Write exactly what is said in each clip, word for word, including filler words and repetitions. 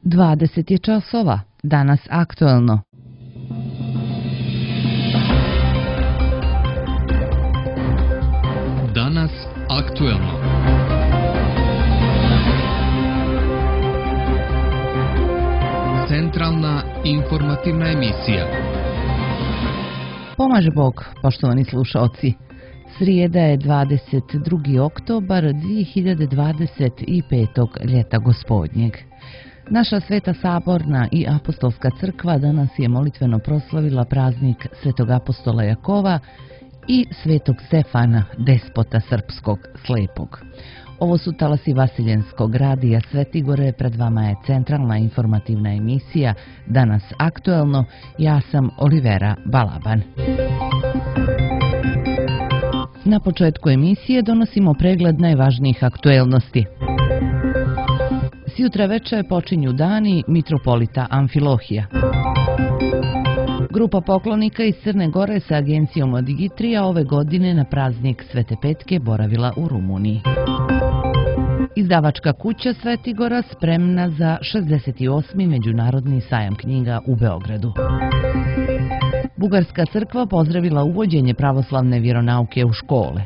dvadeset je časova, danas aktuelno. Danas aktuelno. Centralna informativna emisija. Pomaže Bog, poštovani slušaoci. Srijeda je dvadeset drugi oktobar dvije hiljade dvadeset petog. ljeta gospodnjeg. Naša Sveta Saborna i Apostolska crkva danas je molitveno proslavila praznik Svetog apostola Jakova i Svetog Stefana, despota srpskog slepog. Ovo su talasi Vasiljenskog radija Svetigore, pred vama je centralna informativna emisija Danas aktuelno, ja sam Olivera Balaban. Na početku emisije donosimo pregled najvažnijih aktuelnosti. Sjutra veče počinju dani mitropolita Amfilohija. Grupa poklonika iz Crne Gore sa agencijom od Digitrija ove godine na praznik Svete Petke boravila u Rumuniji. Izdavačka kuća Svetigora spremna za šezdeset osmi. Međunarodni sajam knjiga u Beogradu. Bugarska crkva pozdravila uvođenje pravoslavne vjeronauke u škole.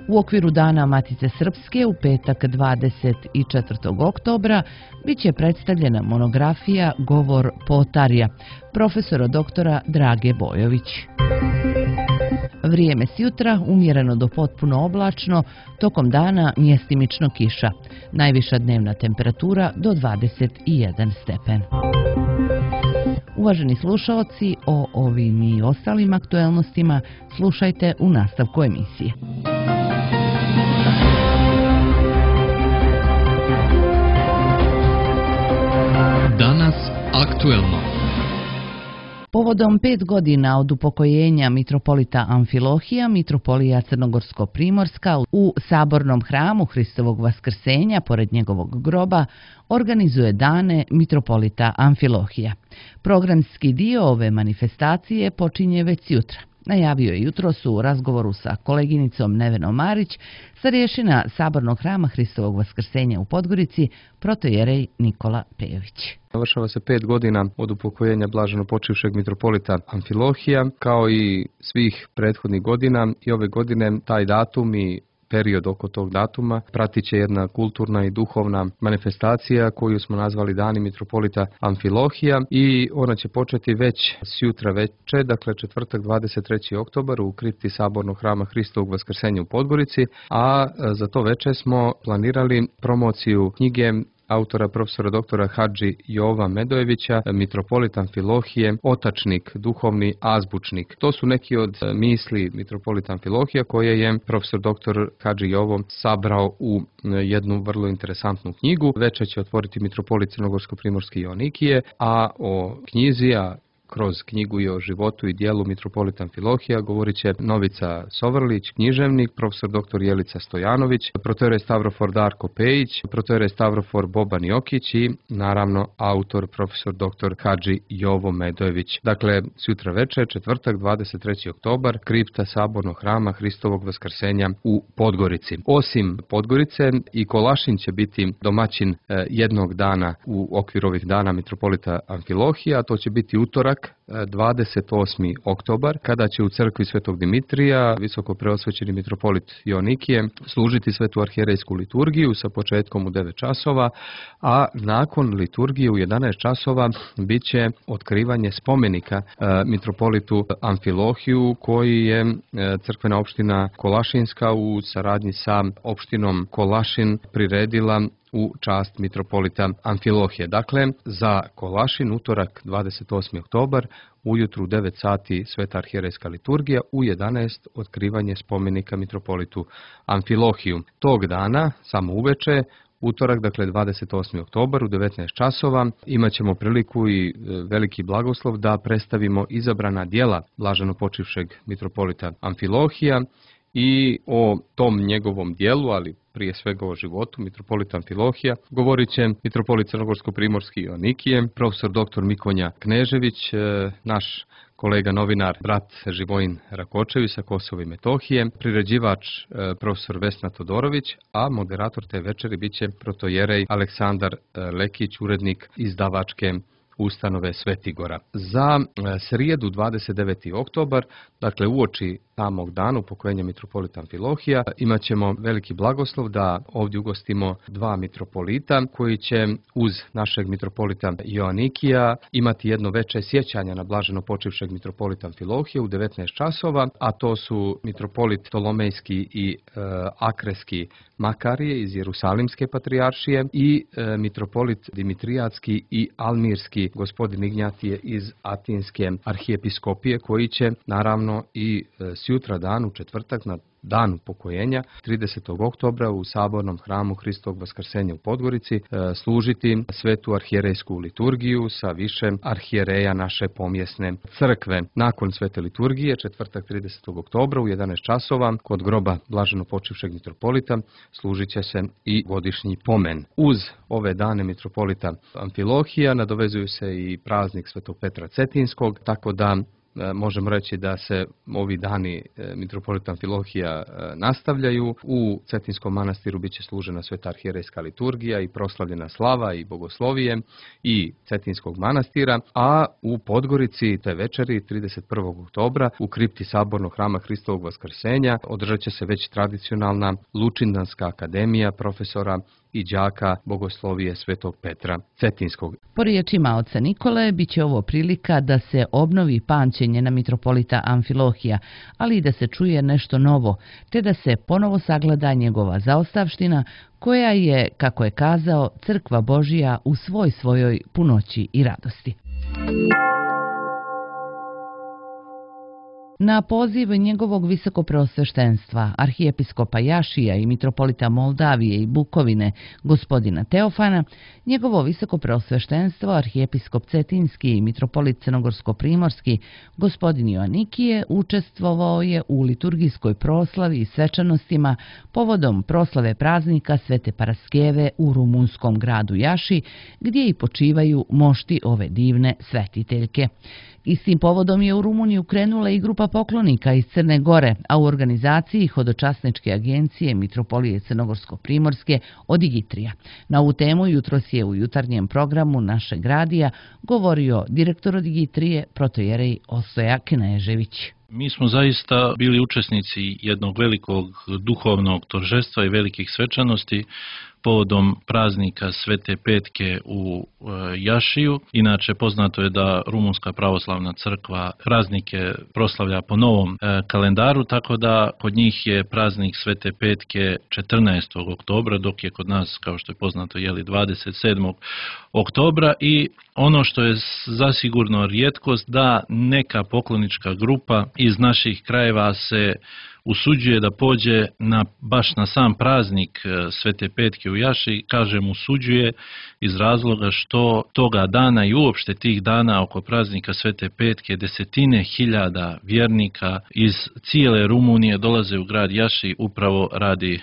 U okviru Dana Matice Srpske u petak dvadeset četvrtog oktobra bit će predstavljena monografija Govor Potarija, profesora doktora Drage Bojović. Vrijeme sjutra umjereno do potpuno oblačno, tokom dana mjestimično kiša. Najviša dnevna temperatura do dvadeset jedan stepen. Uvaženi slušaoci, o ovim i ostalim aktuelnostima slušajte u nastavku emisije. Danas aktuelno. Povodom pet godina od upokojenja mitropolita Amfilohija, mitropolija Crnogorsko-Primorska u Sabornom hramu Hristovog Vaskrsenja, pored njegovog groba, organizuje dane mitropolita Amfilohija. Programski dio ove manifestacije počinje već jutra. Najavio je jutros u razgovoru sa koleginicom Nevenom Marić, starješina Sabornog hrama Hristovog Vaskrsenja u Podgorici, protojerej Nikola Pejović. Navršava se pet godina od upokojenja blaženo počivšeg mitropolita Amfilohija, kao i svih prethodnih godina, i ove godine taj datum i period oko tog datuma pratit će jedna kulturna i duhovna manifestacija koju smo nazvali Dani mitropolita Amfilohija, i ona će početi već sjutra veče, dakle četvrtak dvadeset treći oktobar u kripti Sabornog hrama Hristovog Vaskrsenja u Podgorici, a za to veče smo planirali promociju knjige autora profesora doktora Hadži Jova Medojevića, mitropolit Amfilohije, otačnik, duhovni azbučnik. To su neki od misli mitropolita Amfilohija koje je profesor doktor Hadži Jovo sabrao u jednu vrlo interesantnu knjigu. Večer će otvoriti mitropolit Crnogorsko-Primorski Joanikije, a o knjizi, a kroz knjigu i o životu i dijelu mitropolita Amfilohija govorit će Novica Sovrlić, književnik, profesor doktor Jelica Stojanović, protojerej Stavrofor Darko Pejić, protojerej Stavrofor Boban Jokić i naravno autor profesor doktor Hadži Jovo Medojević. Dakle, sutra večer, četvrtak dvadeset treći oktobar, kripta Sabornog hrama Hristovog Vaskrsenja u Podgorici. Osim Podgorice, i Kolašin će biti domaćin jednog dana u okviru ovih dana mitropolita Amfilohija. To će biti utorak dvadeset osmi oktobar, kada će u crkvi Svetog Dimitrija visoko preosvećeni mitropolit Joanikije služiti svetu arhijerejsku liturgiju sa početkom u devet časova, a nakon liturgije u jedanaest časova bit će otkrivanje spomenika e, mitropolitu Amfilohiju, koji je e, crkvena opština Kolašinska u saradnji sa opštinom Kolašin priredila u čast mitropolita Amfilohije. Dakle, za Kolašin utorak dvadeset osmi oktobar ujutru u devet sati sveta arhijerejska liturgija, u jedanaest otkrivanje spomenika mitropolitu Amfilohiju. Tog dana, samo uveče, utorak, dakle dvadeset osmi oktobar u devetnaest časova, imat ćemo priliku i veliki blagoslov da predstavimo izabrana djela blaženo počivšeg mitropolita Amfilohija i o tom njegovom dijelu, ali prije svega o životu mitropolita Amfilohija, govorit će mitropolit Crnogorsko-Primorski Joanikije, profesor doktor Mikonja Knežević, naš kolega novinar, brat Živojin Rakočević sa Kosova i Metohije, priređivač e, profesor Vesna Todorović, a moderator te večeri bit će protojerej Aleksandar e, Lekić, urednik izdavačke ustanove Svetigora. Za e, srijedu dvadeset deveti oktobar, dakle uoči samog dana upokojenja mitropolita Amfilohija, imat ćemo veliki blagoslov da ovdje ugostimo dva mitropolita koji će uz našeg mitropolita Joanikija imati jedno veče sjećanja na blaženo počivšeg mitropolita Amfilohija u devetnaest časova, a to su mitropolit Ptolomejski i e, Akreski Makarije iz Jerusalimske patrijaršije i e, mitropolit Dimitrijatski i Almirski gospodin Ignjatije iz Atinske arhijepiskopije, koji će naravno i e, sjutra dan u četvrtak na dan upokojenja tridesetog oktobra u sabornom hramu Hristovog vaskrsenja u Podgorici e, služiti svetu arhijerejsku liturgiju sa više arhijereja naše pomjesne crkve. Nakon svete liturgije, četvrtak tridesetog oktobra u jedanaest časova kod groba blaženo počivšeg mitropolita služit će se i godišnji pomen. Uz ove dane mitropolita Amfilohija nadovezuju se i praznik svetog Petra Cetinskog, tako da možemo reći da se ovi dani mitropolita Amfilohija nastavljaju. U Cetinskom manastiru bit će služena sveta arhijerejska liturgija i proslavljena slava i bogoslovije i Cetinskog manastira, a u Podgorici te večeri trideset prvog oktobra u kripti sabornog hrama Hristovog vaskrsenja održat će se već tradicionalna Lučindanska akademija profesora i đaka bogoslovije svetog Petra Cetinskog. Po riječima oca Nikole, bit će ovo prilika da se obnovi pamćenje na mitropolita Amfilohija, ali i da se čuje nešto novo, te da se ponovo sagleda njegova zaostavština, koja je, kako je kazao, crkva Božija u svoj svojoj punoći i radosti. Na poziv njegovog visokopreosveštenstva, arhijepiskopa Jašija i mitropolita Moldavije i Bukovine, gospodina Teofana, njegovo visokopreosveštenstvo, arhijepiskop Cetinski i mitropolit Crnogorsko-primorski, gospodin Joanikije, učestvovao je u liturgijskoj proslavi i svečanostima povodom proslave praznika Svete Paraskeve u rumunskom gradu Jaši, gdje i počivaju mošti ove divne svetiteljke. Istim povodom je u Rumuniju krenula i grupa poklonika iz Crne Gore, a u organizaciji hodočasničke agencije Mitropolije Crnogorsko-primorske Odigitrija. Na ovu temu jutros je u jutarnjem programu našeg radija govorio direktor Odigitrije protojerej Ostoja Knežević. Mi smo zaista bili učesnici jednog velikog duhovnog торжества i velikih svečanosti povodom praznika Svete Petke u Jašiju. Inače, poznato je da Rumunska pravoslavna crkva praznike proslavlja po novom kalendaru, tako da kod njih je praznik Svete Petke četrnaestog oktobra, dok je kod nas, kao što je poznato, jeli dvadeset sedmog oktobra. I ono što je zasigurno rijetkost, da neka poklonička grupa iz naših krajeva se usuđuje da pođe na, baš na sam praznik Svete Petke u Jaši. Kažem usuđuje iz razloga što toga dana i uopšte tih dana oko praznika Svete Petke desetine hiljada vjernika iz cijele Rumunije dolaze u grad Jaši upravo radi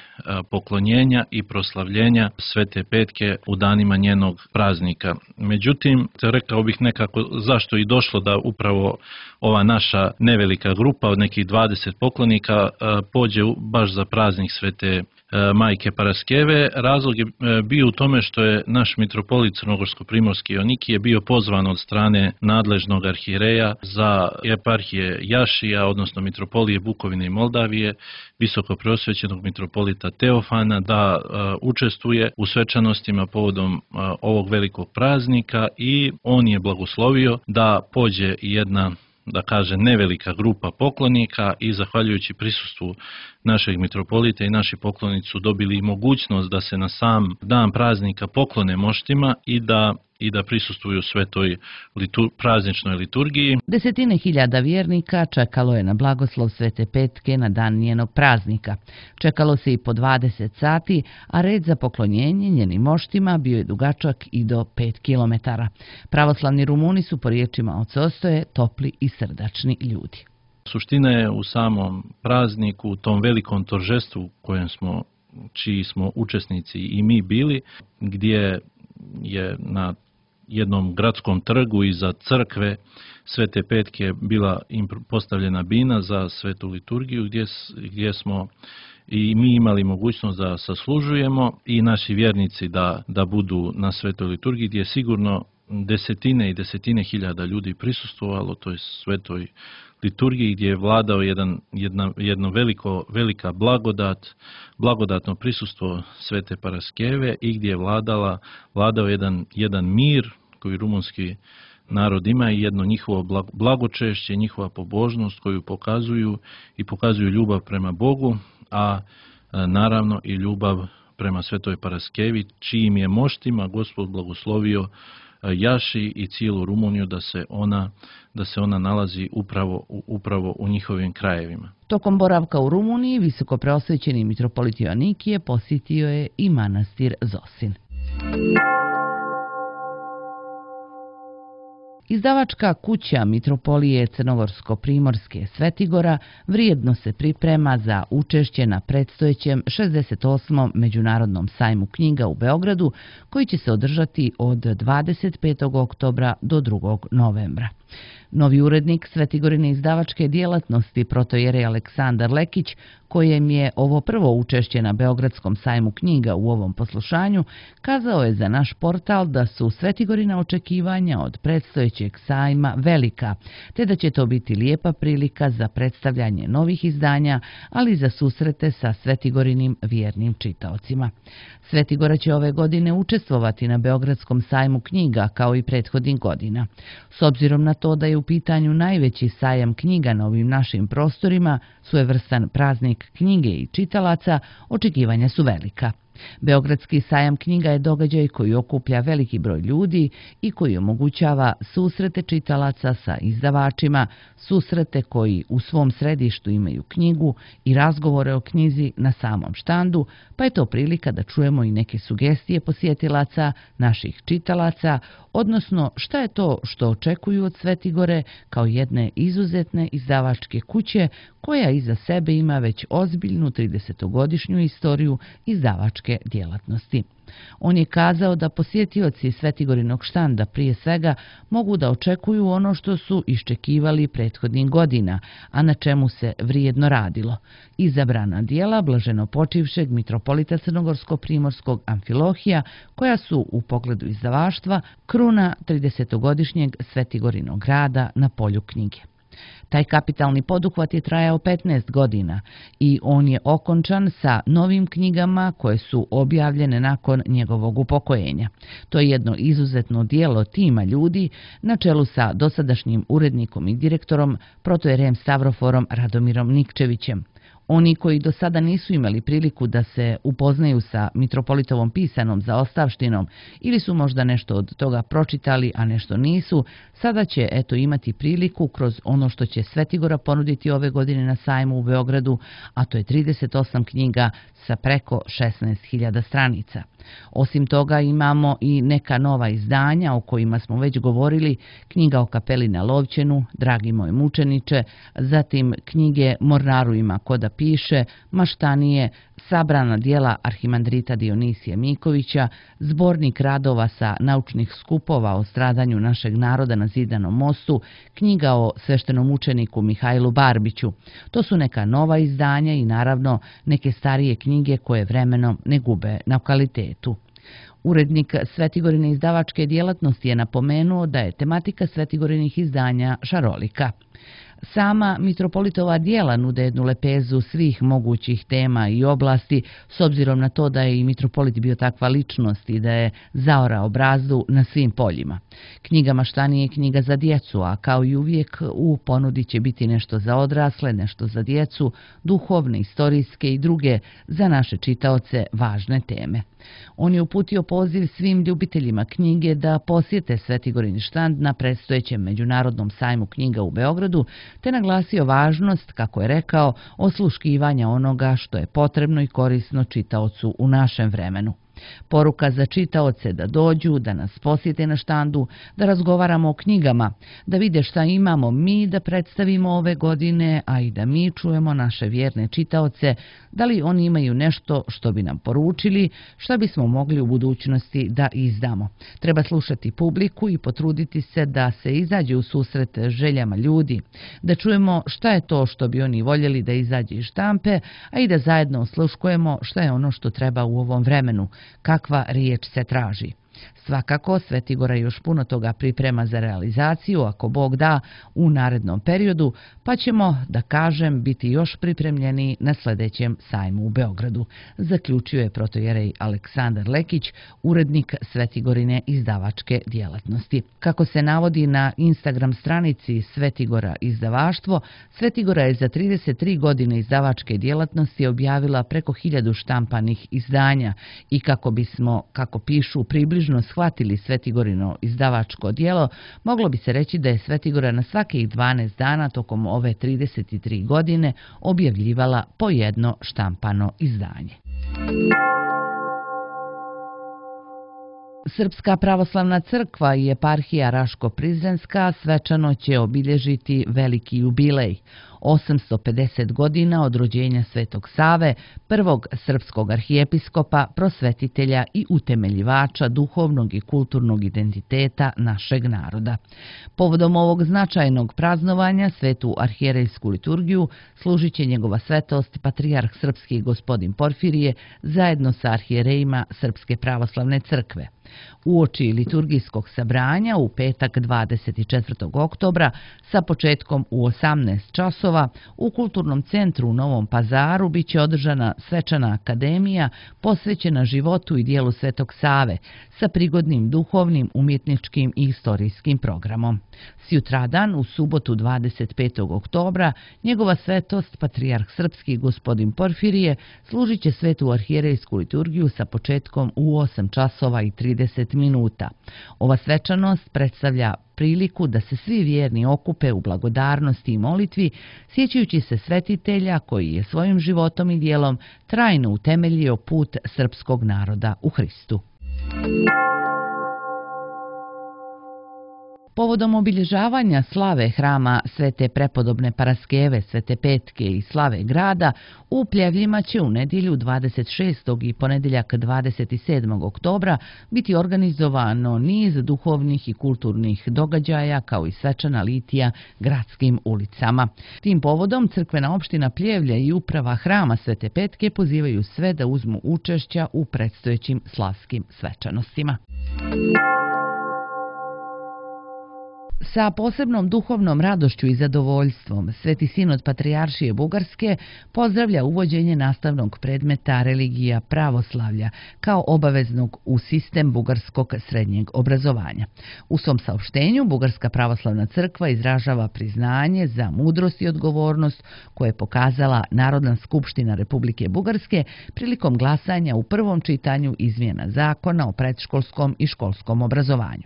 poklonjenja i proslavljenja Svete Petke u danima njenog praznika. Međutim, rekao bih nekako zašto i došlo da upravo ova naša nevelika grupa od nekih dvadeset poklonika pođe baš za praznik Svete Majke Paraskeve. Razlog je bio u tome što je naš mitropolit Crnogorsko-primorski Joanikije bio pozvan od strane nadležnog arhijereja za eparhije Jašija, odnosno mitropolije Bukovine i Moldavije, visokopreosvećenog mitropolita Teofana, da učestvuje u svečanostima povodom ovog velikog praznika, i on je blagoslovio da pođe jedna, da kaže, nevelika grupa poklonika, i zahvaljujući prisustvu našeg mitropolita i naši poklonici su dobili mogućnost da se na sam dan praznika poklone moštima i da i da prisustvuju svetoj litur, prazničnoj liturgiji. Desetine hiljada vjernika čekalo je na blagoslov Svete Petke na dan njenog praznika. Čekalo se i po dvadeset sati, a red za poklonjenje njenim moštima bio je dugačak i do pet kilometara. Pravoslavni Rumuni su, po riječima oca Ostoje, topli i srdačni ljudi. Suština je u samom prazniku, u tom velikom торжеству kojem smo, čiji smo učesnici i mi bili, gdje je na jednom gradskom trgu iza crkve Svete Petke bila im postavljena bina za svetu liturgiju gdje, gdje smo i mi imali mogućnost da saslužujemo i naši vjernici da, da budu na svetoj liturgiji gdje je sigurno desetine i desetine hiljada ljudi prisustvovalo toj svetoj liturgiji gdje je vladao jedan, jedna, jedno veliko, velika blagodat, blagodatno prisustvo Svete Paraskeve i gdje je vladala, vladao jedan, jedan mir koji rumunski narod ima i jedno njihovo blagočešće, njihova pobožnost koju pokazuju i pokazuju ljubav prema Bogu, a naravno i ljubav prema Svetoj Paraskevi, čijim je moštima Gospod blagoslovio Jaši i cijelu Rumuniju da se ona, da se ona nalazi upravo, upravo u njihovim krajevima. Tokom boravka u Rumuniji visoko preosvećeni mitropolit Joanikije posjetio je i manastir Zosin. Izdavačka kuća Mitropolije Crnogorsko-Primorske Svetigora vrijedno se priprema za učešće na predstojećem šezdeset osmom Međunarodnom sajmu knjiga u Beogradu, koji će se održati od dvadeset petog oktobra do drugog novembra. Novi urednik Svetigorine izdavačke djelatnosti protojerej Aleksandar Lekić, kojem je ovo prvo učešće na Beogradskom sajmu knjiga u ovom poslušanju, kazao je za naš portal da su Svetigorina očekivanja od predstojećeg sajma velika, te da će to biti lijepa prilika za predstavljanje novih izdanja, ali i za susrete sa Svetigorinim vjernim čitaocima. Svetigora će ove godine učestvovati na Beogradskom sajmu knjiga kao i prethodnih godina. S obzirom na to da je u pitanju najveći sajam knjiga na ovim našim prostorima, svojevrstan praznik knjige i čitalaca, očekivanja su velika. Beogradski sajam knjiga je događaj koji okuplja veliki broj ljudi i koji omogućava susrete čitalaca sa izdavačima, susrete koji u svom središtu imaju knjigu i razgovore o knjizi na samom štandu, pa je to prilika da čujemo i neke sugestije posjetilaca, naših čitalaca, odnosno šta je to što očekuju od Svetigore kao jedne izuzetne izdavačke kuće koja iza sebe ima već ozbiljnu tridesetogodišnju istoriju izdavačke djelatnosti. On je kazao da posjetioci Svetigorinog štanda prije svega mogu da očekuju ono što su iščekivali prethodnih godina, a na čemu se vrijedno radilo. Izabrana dijela blaženo počivšeg mitropolita Crnogorsko-Primorskog Amfilohija, koja su u pogledu izdavaštva kruna tridesetogodišnjeg Svetigorinog rada na polju knjige. Taj kapitalni poduhvat je trajao petnaest godina i on je okončan sa novim knjigama koje su objavljene nakon njegovog upokojenja. To je jedno izuzetno dijelo tima ljudi na čelu sa dosadašnjim urednikom i direktorom protojerejem Stavroforom Radomirom Nikčevićem. Oni koji do sada nisu imali priliku da se upoznaju sa mitropolitovom pisanom zaostavštinom ili su možda nešto od toga pročitali, a nešto nisu, sada će eto imati priliku kroz ono što će Svetigora ponuditi ove godine na sajmu u Beogradu, a to je trideset osam knjiga sa preko šesnaest hiljada stranica. Osim toga imamo i neka nova izdanja o kojima smo već govorili, knjiga o kapeli na Lovćenu, Dragi moj mučeniče, zatim knjige Mornaru ima ko da piše, Maštanije, sabrana dijela arhimandrita Dionisija Mikovića, zbornik radova sa naučnih skupova o stradanju našeg naroda na Zidanom mostu, knjiga o sveštenom učeniku Mihajlu Barbiću. To su neka nova izdanja i naravno neke starije knjige koje vremenom ne gube na kvalitetu. Urednik Svetigorine izdavačke djelatnosti je napomenuo da je tematika Svetigorinih izdanja šarolika. Sama mitropolitova dijela nude jednu lepezu svih mogućih tema i oblasti, s obzirom na to da je i mitropolit bio takva ličnost i da je zaorao brazdu na svim poljima. Knjiga Maštanije je knjiga za djecu, a kao i uvijek u ponudi će biti nešto za odrasle, nešto za djecu, duhovne, istorijske i druge za naše čitaoce važne teme. On je uputio poziv svim ljubiteljima knjige da posjete Svetigorin štand na predstojećem Međunarodnom sajmu knjiga u Beogradu, te naglasio važnost, kako je rekao, osluškivanja onoga što je potrebno i korisno čitaocu u našem vremenu. Poruka za čitaoce da dođu, da nas posjete na štandu, da razgovaramo o knjigama, da vide šta imamo mi da predstavimo ove godine, a i da mi čujemo naše vjerne čitaoce, da li oni imaju nešto što bi nam poručili, šta bismo mogli u budućnosti da izdamo. Treba slušati publiku i potruditi se da se izađe u susret željama ljudi, da čujemo šta je to što bi oni voljeli da izađe iz štampe, a i da zajedno osluškujemo šta je ono što treba u ovom vremenu, kakva riječ se traži. Svakako, Svetigora još puno toga priprema za realizaciju, ako Bog da, u narednom periodu, pa ćemo, da kažem, biti još pripremljeni na sljedećem sajmu u Beogradu, zaključio je protojerej Aleksandar Lekić, urednik Svetigorine izdavačke djelatnosti. Kako se navodi na Instagram stranici Svetigora izdavaštvo, Svetigora je za trideset tri godine izdavačke djelatnosti objavila preko hiljadu štampanih izdanja i kako bismo, kako pišu, približno shvatili Svetigorino izdavačko djelo, moglo bi se reći da je Svetigora na svakih dvanaest dana tokom ove trideset tri godine objavljivala po jedno štampano izdanje. Srpska pravoslavna crkva i eparhija Raško-Prizrenska svečano će obilježiti veliki jubilej, osamsto pedeset godina od rođenja Svetog Save, prvog srpskog arhijepiskopa, prosvetitelja i utemeljivača duhovnog i kulturnog identiteta našeg naroda. Povodom ovog značajnog praznovanja svetu arhijerejsku liturgiju služit će njegova svetost patrijarh srpski gospodin Porfirije zajedno sa arhijerejima Srpske pravoslavne crkve. Uoči liturgijskog sabranja u petak dvadeset četvrtog oktobra sa početkom u osamnaest časova u Kulturnom centru u Novom Pazaru biće održana svečana akademija posvećena životu i dijelu Svetog Save sa prigodnim duhovnim, umjetničkim i istorijskim programom. Sjutradan, u subotu dvadeset petog oktobra, njegova svetost patrijarh srpski gospodin Porfirije služit će svetu arhijerejsku liturgiju sa početkom u osam časova i trideset minuta. Ova svečanost predstavlja priliku da se svi vjerni okupe u blagodarnosti i molitvi, sjećajući se svetitelja koji je svojim životom i djelom trajno utemeljio put srpskog naroda u Hristu. Povodom obilježavanja slave hrama Svete prepodobne Paraskeve, Svete Petke i slave grada, u Pljevljima će u nedjelju dvadeset šestog i ponedjeljak dvadeset sedmog oktobra biti organizovano niz duhovnih i kulturnih događaja kao i svečana litija gradskim ulicama. Tim povodom crkvena opština Pljevlja i uprava hrama Svete Petke pozivaju sve da uzmu učešća u predstojećim slavskim svečanostima. Sa posebnom duhovnom radošću i zadovoljstvom Sveti sinod Patrijaršije Bugarske pozdravlja uvođenje nastavnog predmeta religija pravoslavlja kao obaveznog u sistem bugarskog srednjeg obrazovanja. U svom saopštenju Bugarska pravoslavna crkva izražava priznanje za mudrost i odgovornost koje je pokazala Narodna skupština Republike Bugarske prilikom glasanja u prvom čitanju izmjena zakona o predškolskom i školskom obrazovanju.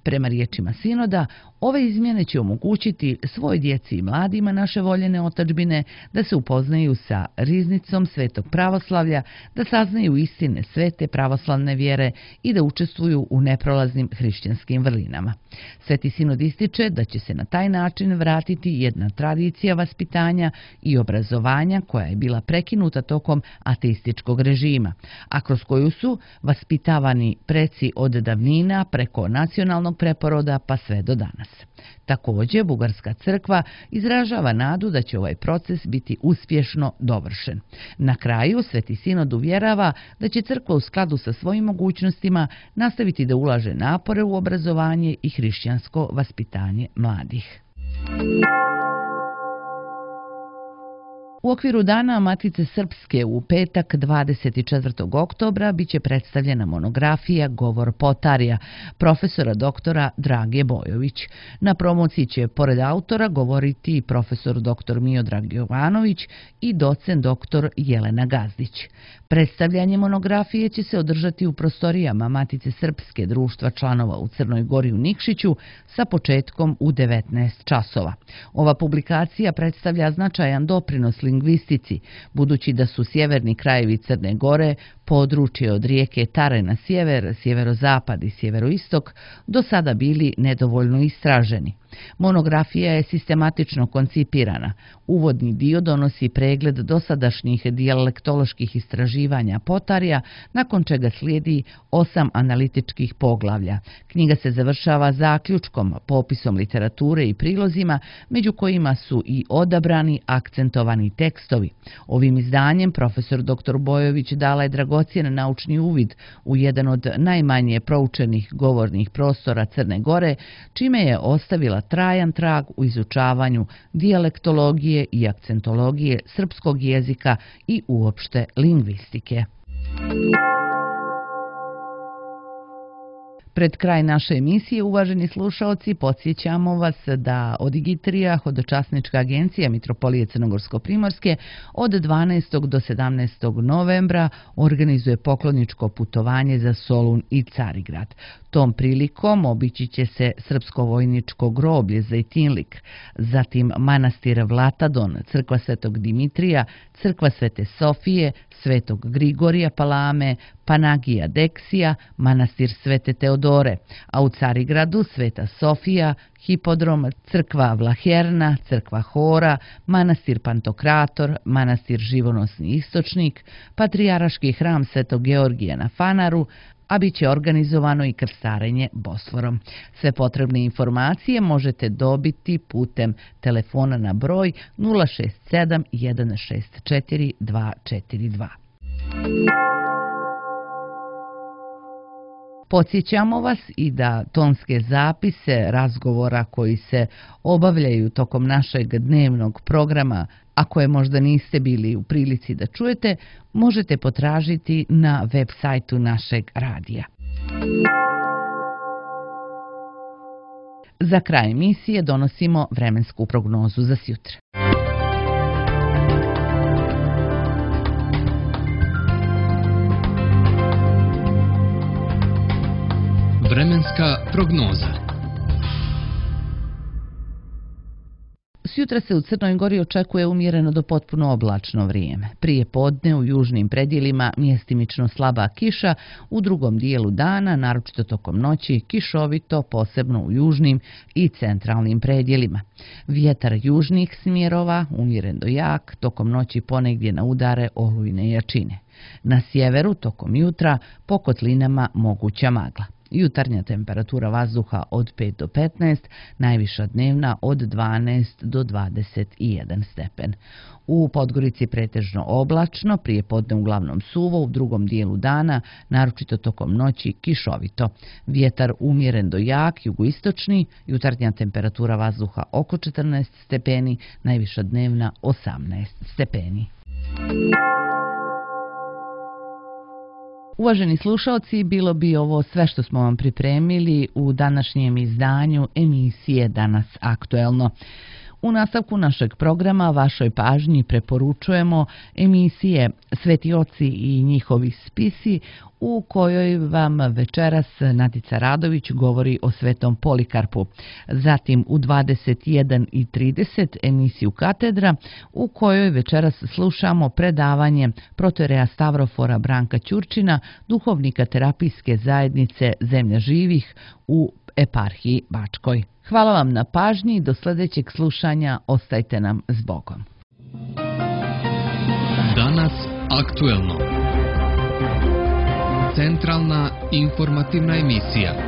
Prema riječima sinoda, ove izmjene će omogućiti svoj djeci i mladima naše voljene otadžbine da se upoznaju sa riznicom svetog pravoslavlja, da saznaju istine svete pravoslavne vjere i da učestvuju u neprolaznim hrišćanskim vrlinama. Sveti sinod ističe da će se na taj način vratiti jedna tradicija vaspitanja i obrazovanja koja je bila prekinuta tokom ateističkog režima, a kroz koju su vaspitavani preci od davnina preko nacionalnog preporoda pa sve do danas. Također, Bugarska crkva izražava nadu da će ovaj proces biti uspješno dovršen. Na kraju, Sveti sinod uvjerava da će crkva u skladu sa svojim mogućnostima nastaviti da ulaže napore u obrazovanje i hrišćansko vaspitanje mladih. U okviru Dana Matice Srpske u petak dvadeset četvrtog oktobra biće predstavljena monografija Govor Potarija profesora doktora Drage Bojović. Na promociji će pored autora govoriti i profesor doktor Miodrag Jovanović i docent doktor Jelena Gazdić. Predstavljanje monografije će se održati u prostorijama Matice Srpske društva članova u Crnoj Gori u Nikšiću sa početkom u devetnaest časova. Ova publikacija predstavlja značajan doprinos lingvističkoj lingvistici, budući da su sjeverni krajevi Crne Gore, područje od rijeke Tare na sjever, sjeverozapad i sjeveroistok, do sada bili nedovoljno istraženi. Monografija je sistematično koncipirana. Uvodni dio donosi pregled dosadašnjih dijalektoloških istraživanja potarja, nakon čega slijedi osam analitičkih poglavlja. Knjiga se završava zaključkom, popisom literature i prilozima, među kojima su i odabrani akcentovani tekstovi. Ovim izdanjem profesor doktor Bojović dala je dragocjen naučni uvid u jedan od najmanje proučenih govornih prostora Crne Gore, čime je ostavila trajan trag u izučavanju dijalektologije i akcentologije srpskog jezika i uopšte lingvistike. Pred kraj naše emisije, uvaženi slušaoci, podsjećamo vas da Odigitrija, hodočasnička agencija Mitropolije Crnogorsko-Primorske, od dvanaestog do sedamnaestog novembra organizuje pokloničko putovanje za Solun i Carigrad. Tom prilikom obići će se srpsko vojničko groblje Zejtinlik, zatim manastir Vlatadon, crkva Svetog Dimitrija, crkva Svete Sofije, Svetog Grigorija Palame, Panagija Deksija, manastir Svete Teodore, a u Carigradu Sveta Sofija, hipodrom, crkva Vlaherna, crkva Hora, manastir Pantokrator, manastir Živonosni istočnik, patrijaraški hram Svetog Georgija na Fanaru, a bit će organizovano i krstarenje Bosforom. Sve potrebne informacije možete dobiti putem telefona na broj nula šest sedam jedan šest četiri dva četiri dva. Podsjećamo vas i da tonske zapise razgovora koji se obavljaju tokom našeg dnevnog programa, a koje možda niste bili u prilici da čujete, možete potražiti na web sajtu našeg radija. Za kraj emisije donosimo vremensku prognozu za sjutra. Vremenska prognoza. Sutra se u Crnoj Gori očekuje umjereno do potpuno oblačno vrijeme. Prije podne u južnim predjelima mjestimično slaba kiša, u drugom dijelu dana, naročito tokom noći, kišovito, posebno u južnim i centralnim predjelima. Vjetar južnih smjerova, umjeren do jak, tokom noći ponegdje na udare olujne jačine. Na sjeveru, tokom jutra, po kotlinama moguća magla. Jutarnja temperatura vazduha od pet do petnaest, najviša dnevna od dvanaest do dvadeset jedan stepen. U Podgorici pretežno oblačno, prije podne uglavnom suvo, u drugom dijelu dana, naročito tokom noći, kišovito. Vjetar umjeren do jak, jugoistočni, jutarnja temperatura vazduha oko četrnaest stepeni, najviša dnevna osamnaest stepeni. Uvaženi slušalci, bilo bi ovo sve što smo vam pripremili u današnjem izdanju emisije Danas aktuelno. U nastavku našeg programa vašoj pažnji preporučujemo emisije Sveti oci i njihovi spisi, u kojoj vam večeras Nadica Radović govori o Svetom Polikarpu. Zatim u dvadeset jedan i trideset emisiju Katedra, u kojoj večeras slušamo predavanje protoreja Stavrofora Branka Ćurčina, duhovnika terapijske zajednice Zemlja živih u eparhiji Bačkoj. Hvala vam na pažnji i do sljedećeg slušanja ostajte nam s Bogom. Danas aktuelno. Centralna informativna emisija.